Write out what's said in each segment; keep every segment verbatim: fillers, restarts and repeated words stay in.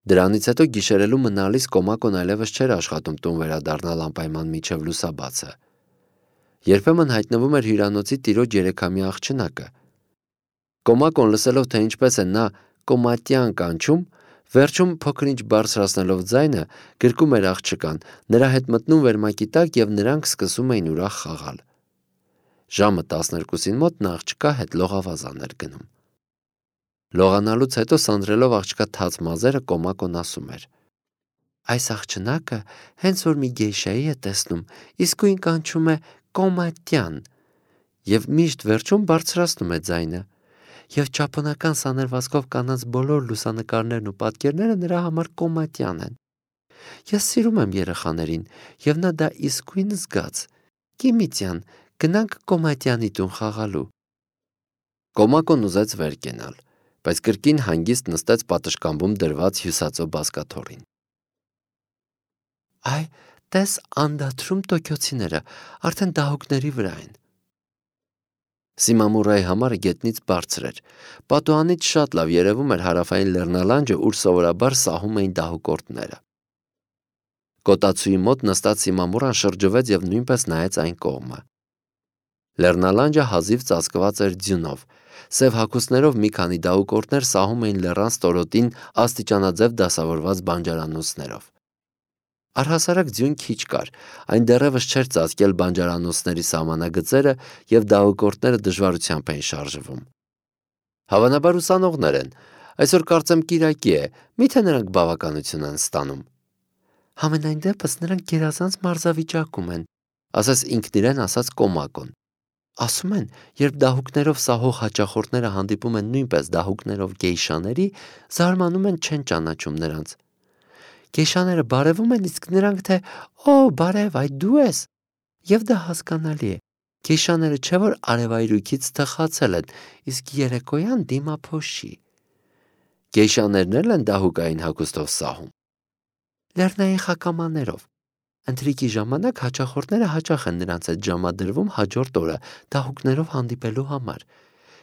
Դրանից հետո գիշերելու մնալիս Կոմակոն այլևս չէր աշխատում տուն վերադառնալ անպայման մինչև լուսաբացը։ Երբեմն հայտնվում էր հյուրանոցի տիրոջ երեքամյա աղջնակը։ Կոմակոն լսելով, թե ինչպես է նա կոմատյան կանչում, վերջում փոքր-ինչ բարձրացնելով ձայնը, գրկում էր աղջկան, նրա հետ մտնում վերմակի տակ և նրանք սկսում էին ուրախ խաղալ։ Ժամը տասներկուսին մոտ նա աղջկա հետ լողավազան էր գնում։ Լողանալուց հետո սանձրելով աղջկա թաց մազերը Կոմակոն ասում էր. «Այս աղջնակը հենց որ մի գեյշայի է տեսնում, իսկույն կանչում է կոմատյան և միշտ վերջում բարձրացնում է ձայնը, և ճապոնական սանրվածքով կանանց բոլոր լուսանկարներն ու պատկերները նրա համար կոմատյան են։ Ես սիրում եմ երեխաներին, և նա դա իսկույն զգաց։ Կիմիցյան, գնանք կոմատյանի տուն խաղալու»։ Կոմակոն ուզեց վեր կենալ, բայց կրկին հանգիստ նստեց պատշգամբում դրված հյուսածո բազկաթոռին։ «Այ, տես անդադրում տոկյոցիները, արդեն դահուկների վրա են»։ Սիմամուրայի համարը գետնից բարձր էր։ Պատուհանից շատ լավ երևում էր հարավային լեռնալանջը, ուր սովորաբար սահում էին դահուկորդները։ Կոտացուի մոտ նստած Սիմամուրան շրջվեց և նույնպես նայեց այն կողմը։ Լեռնալանջը հազիվ ծածկված էր ձյունով։ Սև հագուստներով մի քանի դահուկորդներ սահում էին լեռան ստորոտին աստիճանաձև դասավորված բանջարանոցներով։ Առհասարակ ձյուն քիչ կար, այն դեռևս չէր ծածկել բանջարանոցների սահմանագծերը և դահուկորդները դժվարությամբ էին շարժվում։ Հավանաբար ուսանողներ են, այսօր կարծեմ կիրակի է, միթե նրանք բավականություն են ստանում։ Համենայն դեպս նրանք գերազանց մարզավիճակում են, ասաց ինքն իրեն ասաց Կոմակոն։ Ասում են, երբ դահուկներով սահող հաճախորդները հանդիպում են նույնպես դահուկներով գեյշաների, զարմանում են, չեն ճանաչում նրանց։ Գեյշաները բարևում են, իսկ նրանք թե «Օ, բարև, այ դու ես»։ Եվ դա հասկանալի է։ Գեյշաները չէ որ արևայրույքից թխացել են, իսկ երեկոյան դիմափոշի։ Գեյշաներն էլ են դահուկային հագուստով սահում։ Լեռնային խակամաներով։ Ընթրիքի ժամանակ հաճախորդները հաճախ են նրանց հետ ժամադրվում հաջորդ օրը դահուկներով հանդիպելու համար։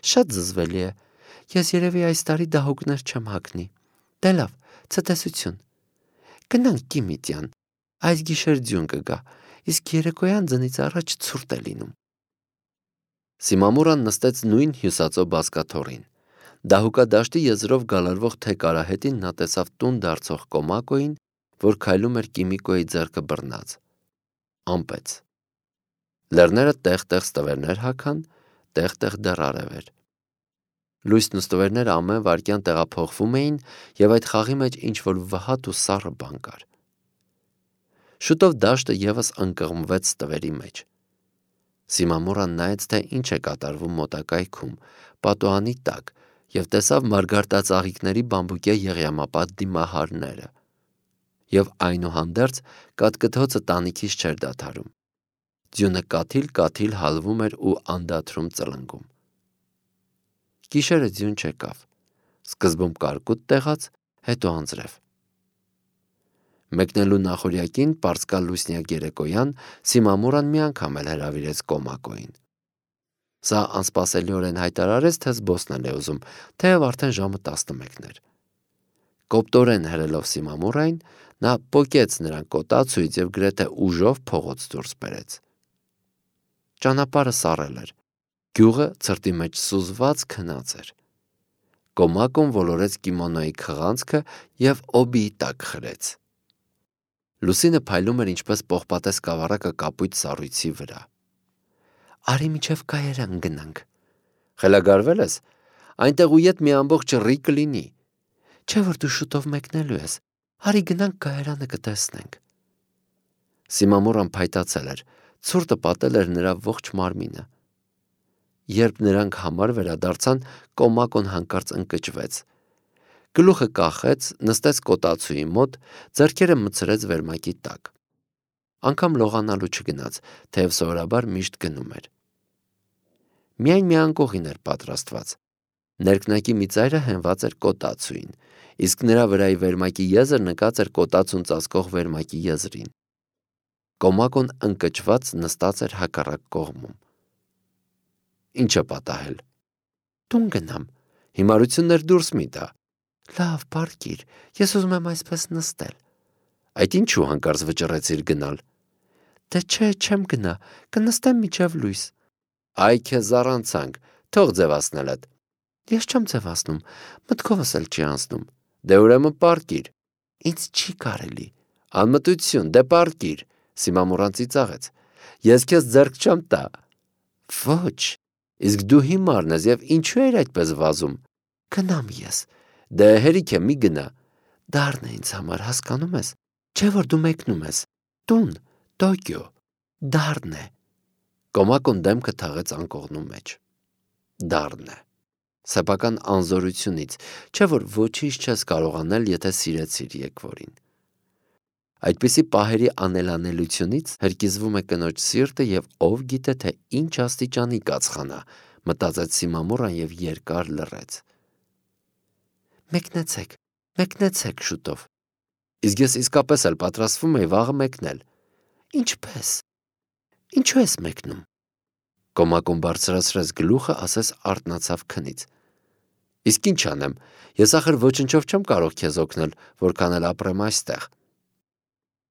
Շատ զզվելի է։ Ես երևի այս տարի դահուկներ չեմ հագնի։ Դե լավ, ցտեսություն։ Գնանք Կիմիցյան, այս գիշեր ձյուն կգա, իսկ երեկոյան ձնից առաջ ցուրտ է լինում։ Սիմամուրան նստեց նույն հյուսածո բազկաթոռին։ Դահուկադաշտի եզրով գալարվող թեք արահետին նա տեսավ տուն դարձող Կոմակոյին, որ քայլում էր Կիմիկոյի ձեռքը բռնած։ Ամպեց։ Լեռները տեղ-տեղ ստվերներ հագան, տեղ-տեղ դեռ արև էր։ Լույսն ու ստվերները ամեն վայրկյան տեղափոխվում էին, և այդ խաղի մեջ ինչ-որ վհատ ու սառը բան կար։ Շուտով դաշտը ևս ընկղմվեց ստվերի մեջ։ Սիմամուրան նայեց, թե ինչ է կատարվում մոտակայքում, պատուհանի տակ, և տեսավ մարգարտածաղիկների բամբուկե եղյամապատ դիմահարները։ Եվ այնուհանդերձ կաթկթոցը տանիքից չէր դադարում։ Ձյունը կաթիլ-կաթիլ հալվում էր ու անդադրում ծլնգում։ Գիշերը ձյուն չեկավ։ Սկզբում կարկուտ տեղաց, հետո անձրև։ Մեկնելու նախօրյակին պարսկալուսնյակ երեկոյան Սիմամուրան մի անգամ էլ հրավիրեց Կոմակոյին։ Սա անսպասելիորեն հայտարարեց, թե զբոսնել է ուզում, թեև արդեն ժամը տասնմեկն էր։ Կոպտորեն հրելով Սիմամուրային, նա պոկեց նրան կոտացույց և գրեթե ուժով փողոց դուրս բերեց։ Ճանապարհը սառել էր։ Գյուղը ցրտի մեջ սուզված քնած էր։ Կոմակոն ոլորեց կիմոնոյի քղանցքը և օբիի տակ խրեց։ Լուսինը փայլում էր ինչպես պողպատե սկավառակը կապույտ սառույցի վրա։ Արի միջև Կայարան գնանք։ Խելագարվե՞լ ես։ Այնտեղ ու ետ մի ամբողջ ռի կլինի։ Չէ որ դու շուտով մեկնելու ես։ Արի գնանք Կայարանը կտեսնենք։ Սիմամուրան փայտացել էր, ցուրտը պատել էր նրա ողջ մարմինը։ Երբ նրանք համար վերադարձան, Կոմակոն հանկարծ ընկճվեց։ Գլուխը կախեց, նստեց կոտացուի մոտ, ձեռքերը մտցրեց վերմակի տակ։ Անգամ լողանալու չգնաց, թեև սովորաբար միշտ գնում էր։ Միայն մի անկողին էր պատրաստված։ Ներքնակի մի ծայրը հենված էր կոտացուին, իսկ նրա վրայի վերմակի եզր նկած էր կոտացուն ծածկող վերմակի եզրին։ Կոմակոն ընկճված նստած էր հակառակ կողմում։ Ինչ է պատահել։ Տուն գնամ, հիմարություններ դուրս մի տա։ Լավ, պարկիր, ես ուզում եմ այսպես նստել։ Այդ ինչու հանկարծ վճռեցիր գնալ։ Դե չէ, չեմ գնա, կնստեմ միջև լույս։ Այ քեզ առանցանք, թող ձևացնելդ։ Ես չեմ ձևացնում, մտքովս էլ չի անցնում։ Դե ուրեմն պարկիր։ Ինձ չի կարելի։ Անմտություն, դե պարկիր, Սիմամուրան ծիծաղեց։ Ես քեզ ձեռք չեմ տա։ Ոչ, իսկ դու հիմարն ես եւ ինչու ես այդպես վազում։ Գնամ ես։ Դե հերիք է, մի գնա։ Դառն է ինձ համար, հասկանում ես։ Չէ որ դու մեկնում ես։ Տուն, Տոկիո, դառն է։ Կոմակոն դեմքը թաղեց անկողնու մեջ։ Դառն է։ Սեփական անզորությունից, չէ որ ոչինչ չես կարող անել, եթե սիրեցիր եկվորին։ Այդպիսի պահերի անելանելությունից հրկիզվում է կնոջ սիրտը եւ ով գիտե թե ինչ աստիճանի կացխանա, մտածեց Սիմամուրան եւ երկար լռեց։ Մեկնեցեք, մեկնեցեք շուտով։ Իսկ ես իսկապես էլ պատրաստվում եի վաղը մեկնել։ Ինչպես։ Ինչու ես մեկնում։ Կոմակոն բարձրացրեց գլուխը, ասես արթնացավ քնից։ Իսկ ինչ անեմ, ես ախր ոչնչով չեմ կարող քեզ օգնել, որքան էլ ապրեմ այստեղ։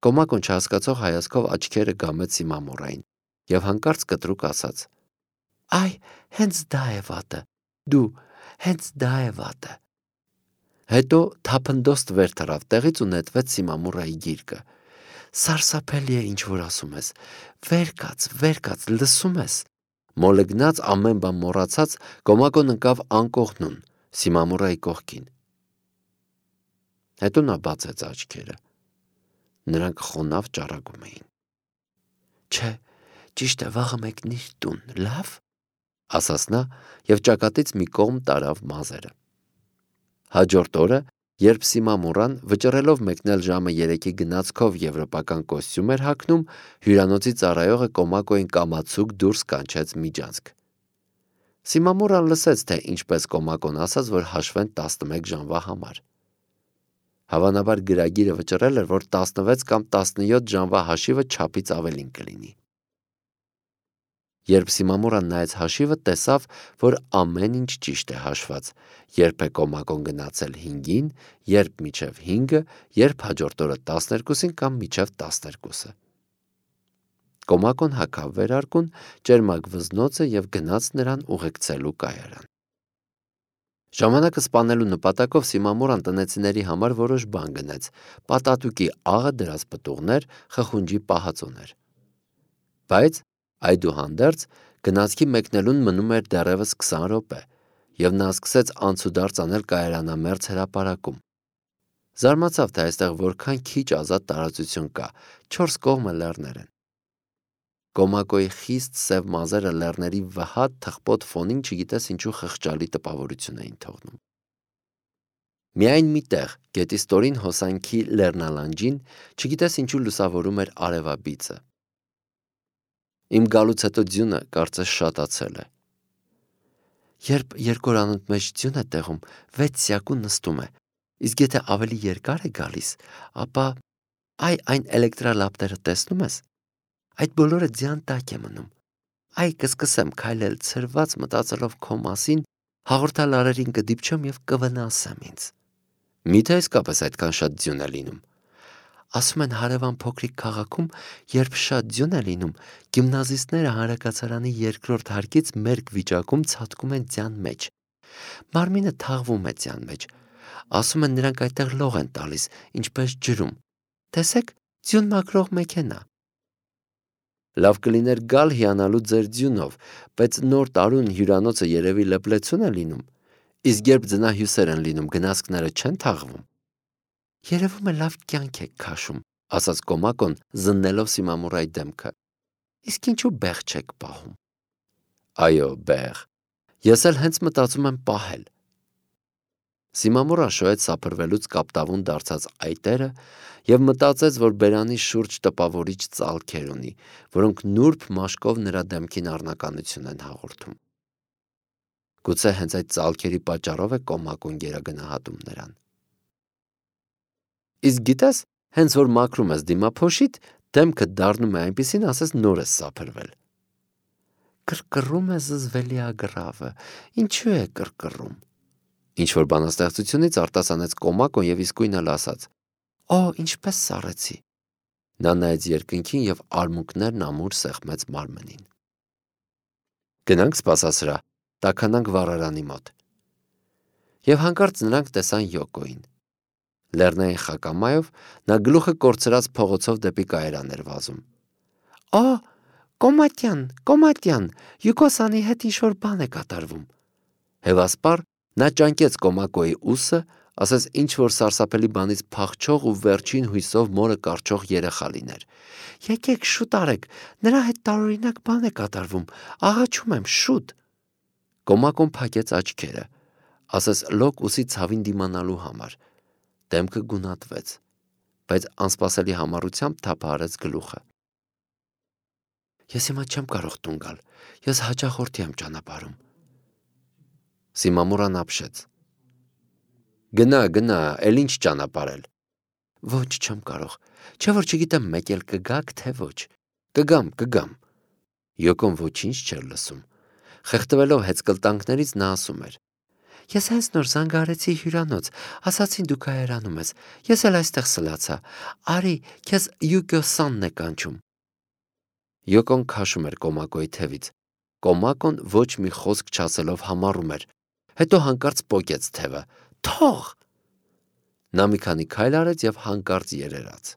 Կոմակոն չհասկացող հայացքով աչքերը գամեց Սիմամուրային եւ հանկարծ կտրուկ ասաց. Այ, հենց դա է վատը։ Դու, հենց դա է վատը։ Հետո թափնդոստ վեր թռավ տեղից ու նետվեց Սիմամուրայի գիրկը։ Սարսափելի է ինչ որ ասում ես։ Վեր կաց, վեր կաց, լսում ես։ Մոլեգնած ամեն բան մոռացած Կոմակոն ընկավ անկողնուն Սիմամուրայի կողքին։ Հետո նա բացեց աչքերը։ Նրանք խոնավ ճառագում էին։ Չէ, ճիշտ է, վաղը մեկնիր տուն, լավ, ասաց նա եւ ճակատից մի կողմ տարավ մազերը։ Հաջորդ օրը, երբ Սիմամուրան վճռելով մեկնել ժամը երեքի գնացքով եվրոպական կոստյում էր հագնում, հյուրանոցի ծառայողը Կոմակոյին կամացուկ դուրս կանչեց միջանցք։ Սիմամուրան լսեց, թե ինչպես Կոմակոն ասաց, որ հաշվեն տասնմեկ ժամվա համար։ Հավանաբար գրագիրը վճռել էր, որ տասնվեց կամ տասնյոթ ժամվա հաշիվը չափից ավելին կլինի։ Երբ Սիմամուրան նայեց հաշիվը, տեսավ, որ ամեն ինչ ճիշտ է հաշված, երբ է Կոմակոն գնացել հինգին, երբ միջև հինգը, երբ հաջորդ օրը տասներկուսին կամ միջև տասներկուսը։ Կոմակոն հագավ վերարկուն, ճերմակ վզնոցը եւ գնաց նրան ուղեկցելու կայարան։ Ժամանակը սպանելու նպատակով Սիմամուրան տնեցիների համար որոշ բան գնեց՝ պատատուկի աղը դրած պտուղներ, խխունջի պահածոներ։ Բայց այդուհանդերձ գնացքի մեկնելուն մնում էր դեռևս քսան րոպե, եւ նա սկսեց անցուդարձ անել կայարանամերձ հրապարակում։ Զարմացավ, թե այստեղ որքան քիչ ազատ տարածություն կա, չորս կողմը լեռներ են։ Կոմակոյի խիստ սև մազերը լեռների վհատ թխպոտ ֆոնին չգիտես ինչու խղճալի տպավորություն էին թողնում։ Միայն մի տեղ, գետի ստորին հոսանքի լեռնալանջին, չգիտես ինչու լուսավորում էր արևաբիծը։ Իմ գալուց հետո ձյունը կարծես շատացել է։ Երբ երկորանոց մեջ ձյուն է տեղում, վեց սյակու նստում է, իսկ եթե ավելի երկար է գալիս, ապա այ այն էլեկտրալապտերը տեսնում ես։ Այդ բոլորը ձյան տակ է մնում։ Այ կսկսեմ քայլել ցրված մտածելով քո մասին, հաղորդալ արերին կդիպչեմ եւ կվնասեմ ինձ։ Միթե իսկապես այդքան շատ ձյուն է լինում։ Ասում են հարևան փոքրիկ քաղաքում, երբ շատ ձյուն է լինում, գիմնազիստները հանրակացարանի երկրորդ հարկից մերկ վիճակում ցատկում են ձյան մեջ։ Մարմինը թաղվում է ձյան մեջ։ Ասում են նրանք այդտեղ լող են տալիս, ինչպես ջրում։ Տեսեք, ձյուն մաքրող մեքենա։ Լավ կլիներ գալ հիանալու ձեր ձյունով, բայց նոր տարուն հյուրանոցը երևի լպլեցուն է լինում, իսկ երբ ձնահյուսեր են լինում, գնացքները չեն թաղվում։ Երևում է լավ կյանք եք քաշում, ասաց Կոմակոն, զննելով Սիմամուրայի դեմքը։ Իսկ ինչու բեղ չեք պահում։ Այո, բեղ։ Ես էլ հենց մտածում եմ պահել։ Սիմամուրան շոյեց սափրվելուց կապտավուն դարձած այտերը եւ մտածեց, որ բերանի շուրջ տպավորիչ ծալքեր ունի, որոնք նուրբ մաշկով նրա դեմքին առնականություն են հաղորդում։ Գուցե հենց այդ ծալքերի պատճառով է Կոմակոն գերագնահատում նրան։ Իսկ գիտես, հենց որ մաքրում ես դիմափոշիդ, դեմքը դառնում է այնպիսին, ասես նոր ես սափրվել։ Կրկռում է զզվելի ագրավը, ինչու է կրկռում։ Ինչ-որ բանաստեղծությունից արտասանեց Կոմակոն և իսկույն էլ ասաց. «Օ, ինչպես սառեցի»։ Նա նայեց երկնքին և արմունկներն ամուր սեղմեց մարմնին։ Գնանք սպասասրահ, տաքանանք վառարանի մոտ։ Եվ հանկարծ նրանք տեսան Յոկոյին։ Լեռնային խակամայով նա գլուխը կորցրած փողոցով դեպի կայարան էր վազում։ «Օ, Կոմատյան, Կոմատյան, Յուկոսանի հետ ինչ-որ բան է կատարվում»։ Հևասպառ նա ճանկեց Կոմակոյի ուսը, ասես ինչ-որ սարսափելի բանից փախչող ու վերջին հույսով մորը կառչող երեխա լիներ։ «Եկեք, շուտ արեք, նրա հետ տարօրինակ բան է կատարվում, աղաչում եմ, շուտ»։ Կոմակոն փակեց աչքերը, ասես լոկ ուսի ցավին դիմանալու համար։ Դեմքը գունատվեց, բայց անսպասելի համառությամբ թափահարեց գլուխը։ «Ես հիմա չեմ կարող տուն գալ, ես հաճախորդի եմ ճանապարհում»։ Սիմամուրան ապշեց։ «Գնա, գնա, էլ ինչ ճանապարհել»։ «Ոչ, չեմ կարող, չէ՞ որ չգիտեմ մեկ էլ կգաք, թե ոչ»։ «Կգամ, կգամ»։ Յոկոն ոչինչ չէր լսում։ Խեղդվելով հեծկլտանքներից նա ասում էր. «Ես հենց նոր զանգահարեցի հյուրանոց, ասացին դու կայարանում ես, ես էլ այստեղ սլացա, արի, քեզ Յուկիո-սանն է կանչում»։ Յոկոն քաշում էր Կոմակոյի թևից։ Կոմակոն ոչ մի խոսք չասելով համառում էր, հետո հանկարծ պոկեց թևը։ «Թող»։ Նա մի քանի քայլ արեց և հանկարծ երերաց։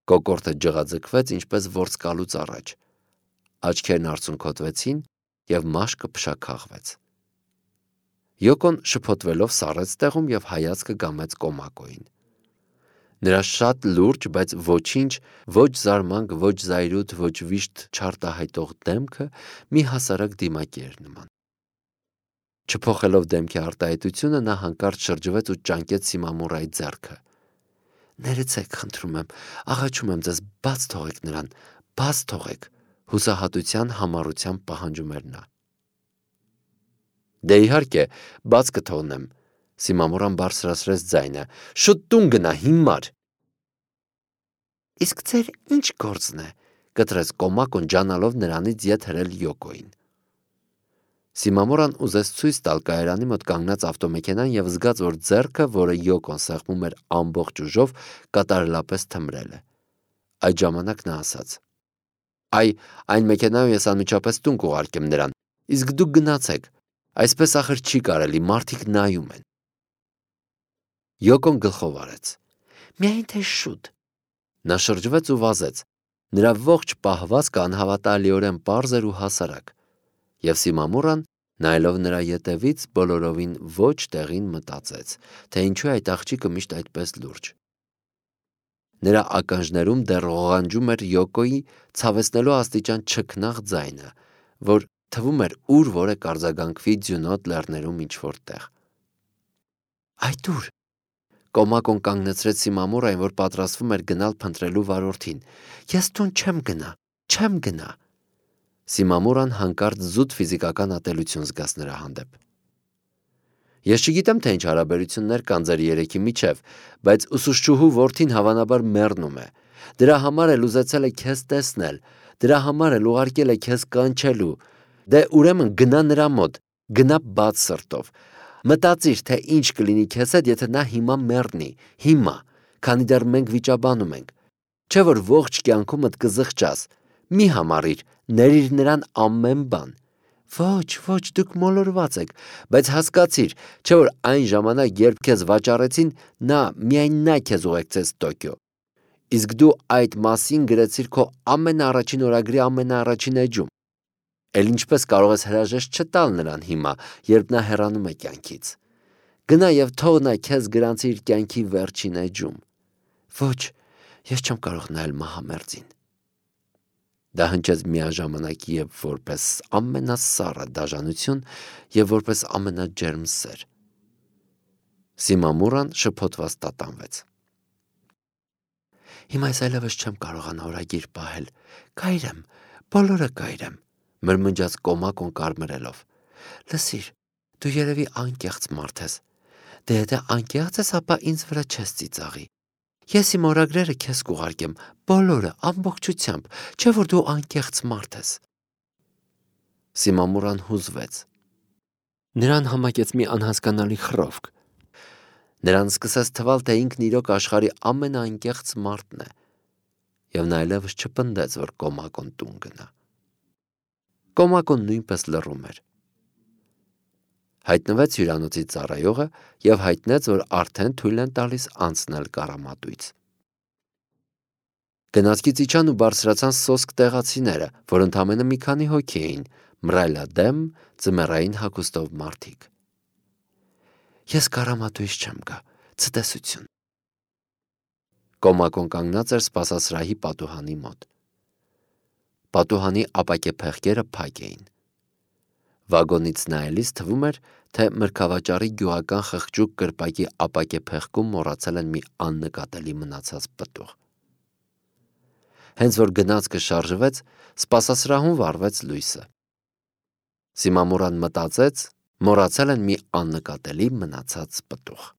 Կոկորդը ջղաձգվեց ինչպես որսկալուց առաջ։ Աչքերն արցունքոտվեցին և մաշկը փշաքաղվեց։ Յոկոն շփոթվելով սառեց տեղում և հայացքը գամեց Կոմակոյին։ Նրա շատ լուրջ, բայց ոչինչ, ոչ զարմանք, ոչ զայրույթ, ոչ վիշտ չարտահայտող դեմքը մի հասարակ դիմակի էր նման։ Չփոխելով դեմքի արտահայտությունը նա հանկարծ շրջվեց ու ճանկեց Սիմամուրայի ձեռքը։ «Ներեցեք, խնդրում եմ, աղաչում եմ ձեզ, բաց թողեք նրան, բաց թողեք», հուսահատության համառությամբ պահանջում էր նա։ «Դե իհարկե, բաց կթողնեմ», Սիմամուրան բարձրացրեց ձայնը, «շուտ տուն գնա, հիմար»։ «Իսկ ձեր ինչ գործն է», կտրեց Կոմակոն ջանալով նրանից ետ հրել Յոկոյին։ Սիմամուրան ուզեց ցույց տալ կայարանի մոտ կանգնած ավտոմեքենան և զգաց, որ ձեռքը, որը Յոկոն սեղմում էր ամբողջ ուժով, կատարելապես թմրել է։ Այդ ժամանակ նա ասաց. «Այ, այն մեքենայով ես անմիջապես տուն կուղարկեմ նրան, իսկ դուք գնացեք, այսպես ախր չի կարելի, մարդիկ նայում են»։ Յոկոն գլխով արեց. «Միայն թե շուտ»։ Նա շրջվեց ու վազեց։ Նրա ողջ պահվածքը անհավատալիորեն պարզ էր ու հասարակ։ Եվ Սիմամուրան, նայելով նրա ետևից, բոլորովին ոչ տեղին մտածեց, թե ինչու է այդ աղջիկը միշտ այդպես լուրջ։ Նրա ականջներում դեռ ղողանջում էր Յոկոյի ցավեցնելու աստիճան չքնաղ ձայնը, որ թվում էր ուր որ է կարձագանքվի ձյունոտ լեռներում ինչ-որ տեղ։ «Այդ ո՞ւր»։ Կոմակոն կանգնեցրեց Սիմամուրային, որ պատրաստվում էր գնալ փնտրելու վարորդին։ «Ես տուն չեմ գնա, չեմ գնա»։ Սիմամուրան հանկարծ զուտ ֆիզիկական ատելություն զգաց նրա հանդեպ։ «Ես չգիտեմ, թե ինչ հարաբերություններ կան ձեր երեքի միջև, բայց ուսուցչուհու որդին հավանաբար մեռնում է։ Դրա համար էլ ուզեցել է քեզ տեսնել, դրա համար էլ ուղարկել է քեզ կանչելու։ Դե ուրեմն գնա նրա մոտ, գնա բաց սրտով։ Մտածիր, թե ինչ կլինի քեզ հետ, եթե նա հիմա մեռնի, հիմա, քանի դեռ մենք վիճաբանում ենք։ Չէ՞ որ ողջ կյանքումդ կզղջաս։ Մի համառիր, ներիր նրան ամեն բան։ Ոչ, ոչ, դուք մոլորված եք, բայց հասկացիր, չէ՞ որ այն ժամանակ, երբ քեզ վաճառեցին, նա, միայն նա քեզ ուղեկցեց Տոկիո։ Իսկ դու այդ մասին գրեցիր քո ամենաառաջին օրագրի ամենաառաջին էջում։ Էլ ինչպես կարող ես հրաժեշտ չտալ նրան հիմա, երբ նա հեռանում է կյանքից։ Գնա և թող նա քեզ գրանցի իր կյանքի վերջին էջում։ Ոչ, ես չեմ կարող նայել մահամերձին։ Դա հնչեց միաժամանակ և որպես ամենասառը դաժանություն և որպես ամենաջերմ սեր։ Սիմամուրան շփոթված տատանվեց։ «Հիմա ես այլևս չեմ կարողանա օրագիր պահել, կայրեմ, բոլորը կայրեմ», մրմնջաց Կոմակոն կարմրելով։ «Լսիր, դու երևի անկեղծ մարդ ես։ Դե եթե անկեղծ ես, ապա ինձ վրա չես ծիծաղի։ Ես իմ օրագրերը քեզ կուղարկեմ, բոլորը, ամբողջությամբ, չէ՞ որ դու անկեղծ մարդ ես»։ Սիմամուրան հուզվեց։ Նրան համակեց մի անհասկանալի խռովք։ Նրան սկսեց թվալ, թե ինքն իրոք աշխարհի ամենաանկեղծ մարդն է, եւ նա այլևս չպնդեց, որ Կոմակոն տուն գնա։ Կոմակոն նույնպես լռում էր։ Հայտնվեց հյուրանոցի ծառայողը եւ հայտնեց, որ արդեն թույլ են տալիս անցնել կարամատույց։ Գնացքից իջան ու բարձրացան սոսկ տեղացիները, որ ընդամենը մի քանի հոգի էին, մռայլադեմ, ձմեռային հագուստով մարդիկ։ Ես կարամատույց չեմ գա, ցտեսություն։ Կոմակոն կանգնած էր սպասասրահի պատուհանի մոտ։ Պատուհանի ապակե փեղկերը փակ էին։ Վագոնից նայելիս թվում էր, թե մրգավաճառի գյուղական խղճուկ կրպակի ապակե փեղկում մոռացել են մի աննկատելի մնացած պտուղ։ Հենց որ գնացքը շարժվեց, սպասասրահում վառվեց լույսը։ Սիմամուրան մտածեց, մոռացել են մի աննկատելի մնացած պտուղ։